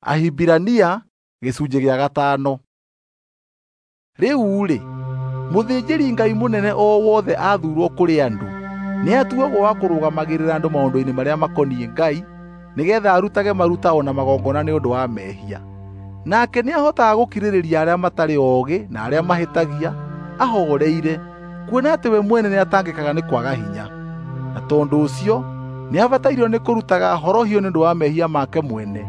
Ahibirania gĩcunjĩ gĩa gatano. Rĩu-rĩ, mũthĩnjĩri-Ngai mũnene o wothe athuurwo kũrĩ andũ, nĩatuagwo wa kũrũgamagĩrĩra andũ maũndũ-inĩ marĩa makoniĩ Ngai, nĩgeetha arutage maruta o na magongona nĩ ũndũ wa mehia. Nake nĩahotaga gũkirĩrĩria arĩa matarĩ oogĩ na arĩa mahĩtagia, ahooreire, kuona atĩ we mwene nĩatangĩkaga nĩ kwaga hinya. Na tondũ ũcio nĩabatairio nĩ kũrutaga horohio nĩ ũndũ wa mehia make mwene,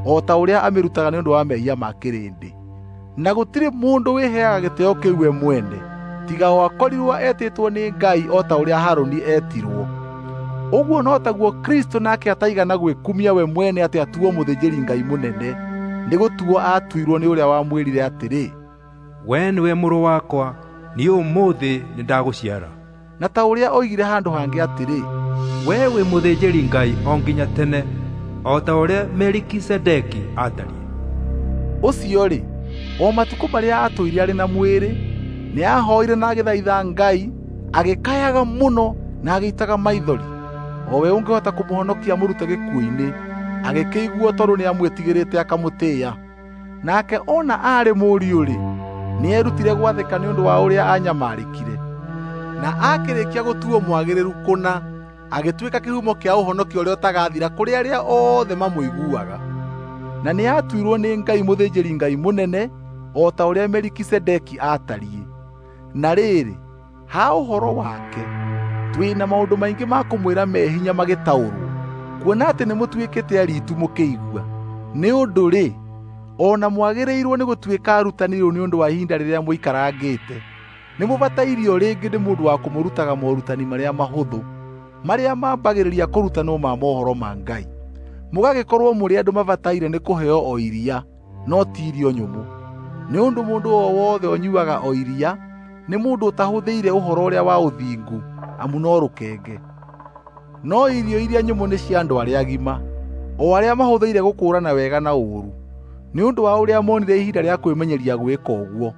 o ta ũrĩa amĩrutaga nĩ ũndũ wa mehia ma kĩrĩndĩ. Na gũtirĩ mũndũ wĩheaga gĩtĩĩo kĩu we mwene, tiga o akorirwo etĩtwo nĩ Ngai o ta ũrĩa Harũni eetirwo. Ũguo no taguo Kristũ nake ataigana gwĩkumia we mwene atĩ atuo mũthĩnjĩri-Ngai mũnene, nĩgũtuo aatuirwo nĩ ũrĩa wamwĩrire atĩrĩ, "Wee nĩwe mũrũ wakwa, niĩ ũmũthĩ nĩndagũciara." Na ta ũrĩa oigire handũ hangĩ atĩrĩ, "Wee wĩ mũthĩnjĩri-Ngai o nginya tene, o ta ũrĩa Melikisedeki aatariĩ." Ũcio-rĩ, o matukũ marĩa aatũire arĩ na mwĩrĩ, nĩahooire na agĩthaitha Ngai, agĩkayaga mũno na agĩitaga maithori, o we ũngĩhota kũmũhonokia amũrute gĩkuũ-inĩ, agĩkĩiguo tondũ nĩamwĩtigĩrĩte akamũtĩĩa. Nake ona aarĩ mũriũ-rĩ, nĩerutire gwathĩka nĩ ũndũ wa ũrĩa aanyamarĩkire. Na aakĩrĩkia gũtuo mwagĩrĩru kũna, agĩtuĩka kĩhumo kĩa ũhonokio ũrĩa ũtagathira kũrĩ arĩa othe mamũiguaga. Na nĩatuirwo nĩ Ngai mũthĩnjĩri-Ngai mũnene o ta ũrĩa Melikisedeki aatariĩ. Na rĩrĩ, ha ũhoro wake, twĩ na maũndũ maingĩ ma kũmwĩra me hinya magĩtaũrwo, kuona atĩ nĩmũtuĩkĩte ariitu mũkĩigua. Nĩ ũndũ-rĩ, o na mwagĩrĩirwo nĩ gũtuĩka arutani rĩu nĩ ũndũ wa ihinda rĩrĩa mũikarangĩte. Nĩmũbatairio rĩngĩ nĩ mũndũ wa kũmũrutaga morutani marĩa mahũthũ, marĩa mambagĩrĩria kũrutanwo ma mohoro ma Ngai. Mũgagĩkorwo mũrĩ andũ mabataire nĩ kũheo o iria, no ti irio nyũmũ. Nĩ ũndũ mũndũ o wothe ũnyuuaga o iria nĩ mũndũ ũtahũthĩire ũhoro ũrĩa wa ũthingu, amu no rũkenge. No irio iria nyũmũ nĩ cia andũ arĩa agima, o arĩa mahũthĩire gũkũũrana wega na ũũru, nĩ ũndũ wa ũrĩa moonire ihinda rĩa kwĩmenyeria gwĩka ũguo.